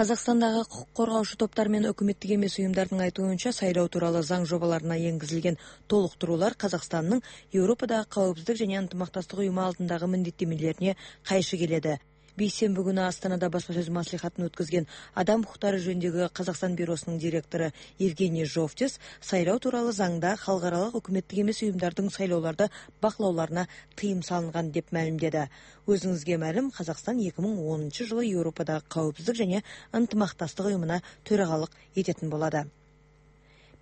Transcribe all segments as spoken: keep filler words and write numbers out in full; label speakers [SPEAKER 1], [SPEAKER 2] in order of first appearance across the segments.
[SPEAKER 1] Казакстандагы укук коргоочу топтор менен өкмөттүк эмес уюмдардын айтуунча, шайлоо тууралуу заң жобаларына энгизилген толуктуруулар Казакстандын Европадагы Коопсуздук жана ынтымакташтык уюму алдындагы милдеттенмелерине кайшы келет. Бейсенби күнү Астанада басма сөз маслихатын өткөзгөн Адам укуктары жөнүндөгү Казакстан бюросунун директору Евгений Жовтис шайлоо тууралуу заңда халкаралык өкмөттүк эмес уюмдардын шайлоолорду бакылауларына тыйым салынган деп маалимдеди. Өзүңүзгө маалым, Казакстан эки миң онунчу жылы Европадагы Коопсуздук жана ынтымакташтык уюмуна төрагалык этетін болду.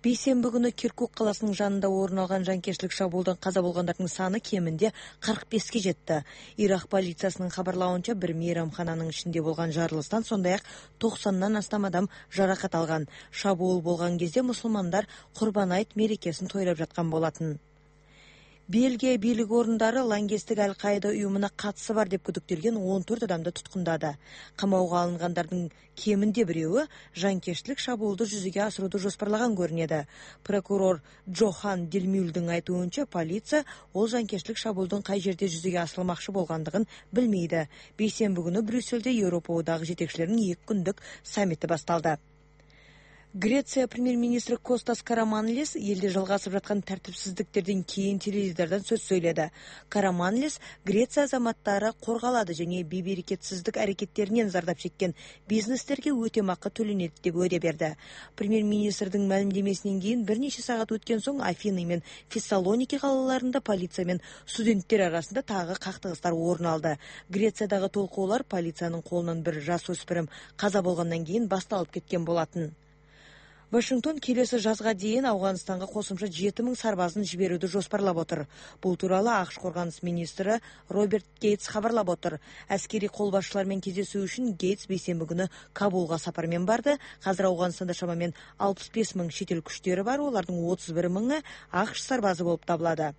[SPEAKER 1] Бейсенби күнү Киркук каласынын жанында орун алган жанкечтилик шабуулдан каза болгондордун саны кеминде кырк беске жетти. Ирак полициясынын кабарлауынча, бир мейрамхананын ичинде болгон жарылыштан сондай-ак токсондон астам адам жаракат алган. Шабуул болгон кезде мусулмандар Курбан айт мерекесин тойлоп жаткан болотун. Бельгия бийлик орундары лаңкестик Аль-Каида уюмуна катышы бар деп күдүктөлгөн он төрт адамды туткундады. Камауга алынгандардын кеминде бирөөү жанкечтилик шабуулду жүзүгө асырууду жоспарлаган көрүнөдү. Прокурор Джохан Дилмюлдун айтуунча, полиция ол жанкечтилик шабуулдун кай жерде жүзүгө асырылмакчы болгондугун билмейди. Бейсенби күнү Брюссельде Европа одагы жетекчилеринин эки күндүк саммити башталды. Греция премьер-министри Костас Караманлис элде жалгасып жаткан тартипсиздиктерден кийин теледидардан сөз сөйлөдү. Караманлис Греция азаматтары коргалады жана бейберекетсиздик аракеттеринен зардап чеккен бизнестерге өтөмакы төленет деп өйдө берди. Премьер-министрдин маалимдемесинен кийин бир нече саат өткөн соң Афины менен Фессалоники калаларында полиция менен студенттер арасында тагы кактыгыстар орун алды. Грециядагы толкоолор полициянын колунан бир жаш өспүрүм каза болгондон кийин башталып кеткен болотун. Вашингтон келесі жазга дейин Афганистанга кошумча жети миң сарбазын жиберүүнү жоспарлап отур. Бул тууралуу АКШ коргонус министри Роберт Гейтс кабарлап отур. Аскери кол башчылар менен кездесүү үчүн Гейтс бейсенби күнү Кабулга сапар менен барды. Азыр Афганистанда шамамен алпыс беш миң чет эл күчтөрү бар, олардын отуз бир миңи АКШ сарбазы болуп табылады.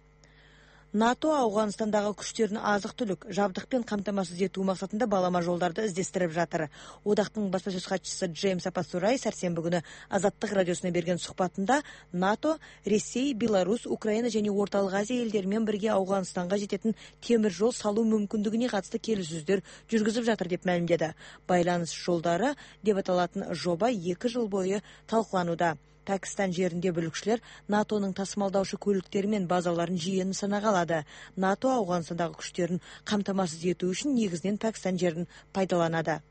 [SPEAKER 1] НАТО Афганистандагы күчтөрүн азык-түлүк, жабдык менен камтамасыз этүү максатында балама жолдарды издестирип жатыр. Одактын басма сөз катчысы Джеймс Апасурай сарсенби күнү Азаттык радиосуна берген сухбатында НАТО, Ресей, Беларусь, Украина жана Ортолук Азия элдери менен бирге Афганистанга жететін темир жол салуу мүмкүндүгүнө катысты келишүүлөр жүргүзүп жатыр деп маалимдеди. Байланыш жолдары деп аталатын жоба эки жыл бою талкууланууда. Пакистан жеринде бүлүкчүлөр НАТОнун тасымалдаучу көлүктөрү менен базаларын жиі нысанага алады. НАТО Афганистандагы күчтөрүн камтамасыз этүү үчүн негизинен Пакистан жерин пайдаланады.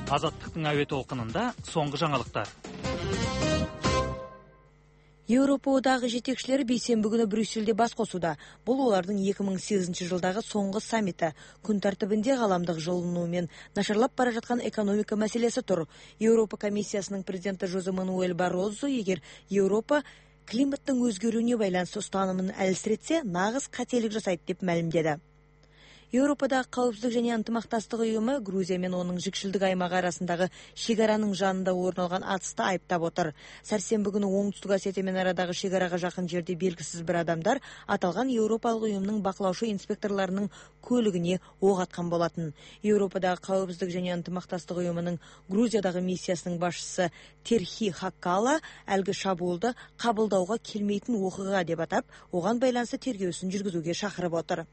[SPEAKER 2] Азаттыктын аби толкунунда соңку жаңылыктар.
[SPEAKER 1] Европа одагы жетекчилери бейсенби күнү Брюссельде бас косууда. Бул алардын эки миң сегизинчи жылдагы соңку саммити. Күн тартибинде галамдык жылынуу менен начарлап бара жаткан экономика маселеси тур. Европа комиссиясынын президенти Жозе Мануэль Баррозо эгер Европа климаттын өзгөрүүнү байланыштуу устанымын алсиретсе, нагыз кателик жасайт деп маалимдеди. Европадагы Коопсуздук жана ынтымакташтык уюму Грузия менен онун жикшилдик аймагы арасындагы шегаранын жанында орун алган атышты айыптап отур. Сарсенби күнү Оңтүстүк Осетия менен арадагы шегарага жакын жерде белгисиз бир адамдар аталган Европалык уюмдун бакылоочу инспекторлорунун көлүгүнө ок аткан болотун. Европадагы Коопсуздук жана ынтымакташтык уюмунун Грузиядагы миссиясынын башчысы Терхи Хаккала алгы шабуулду кабылдауга келмейтин окуя деп атап, оган байланыштуу тергөөсүн жүргүзүүгө шакырып отур.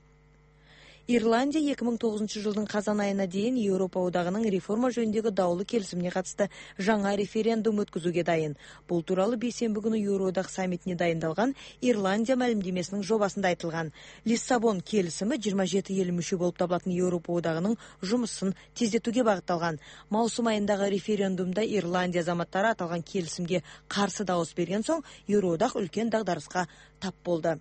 [SPEAKER 1] Ирландия эки миң тогузунчу жылдын казан айына дейин Европа одагынын реформа жөнүндөгү даулуу келисимине катысты жаңа референдум өткөзүүгө дайын. Бул тууралуу бейсенби күнү Евроодак саммитине дайындалган Ирландия маалимдемесинин жобасында айтылган. Лиссабон келисими жыйырма жети эл мүчө болуп табылатын Европа одагынын жумушун тездетүүгө багытталган. Маусум айындагы референдумда Ирландия азаматтары аталган келисимге каршы дауыс берген соң Евроодак үлкен дагдарыска тап болду.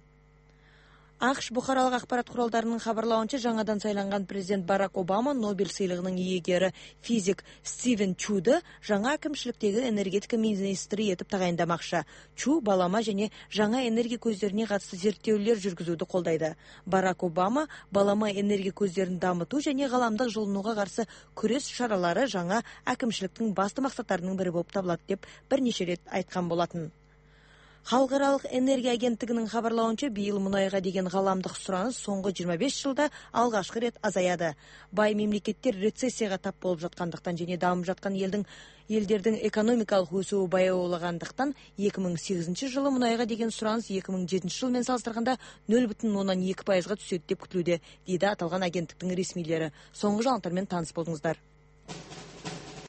[SPEAKER 1] АКШ бухаралык акпарат куралдарынын кабарлауынча, жаңадан сайланган президент Барак Обама Нобель сыйлыгынын ээлери физик Стивен Чуду жаңа акимчиликтеги энергетика министри этип тагайындамакчы. Чу балама жана жаңа энергия көздөрүнө катысты зерттөөлөр жүргүзүүдү колдойду. Барак Обама балама энергия көздөрүн дамытуу жана галамдык жылынууга каршы күрөш чаралары жаңа акимчиликтин басты максаттарынын бири болуп табылат деп бир нече рет айткан болотун. Халкаралык энергия агенттигинин кабарлауынча, быйыл мунайга деген галамдык сураныч соңку жыйырма беш жылда алгачкы рет азаяды. Бай мемлекеттер рецессияга тап болуп жаткандыктан жана дамып жаткан элдин элдердин экономикалык өсүүсү баяуулагандыктан эки миң сегизинчи жылы мунайга деген сураныч эки миң жетинчи жыл менен салыштырганда нөл бүтүн ондон эки пайызга түшөт деп күтүлүүдө, дейди аталган агенттиктин ресмийлери. Соңку жаңылыктар менен тааныс болуңуздар.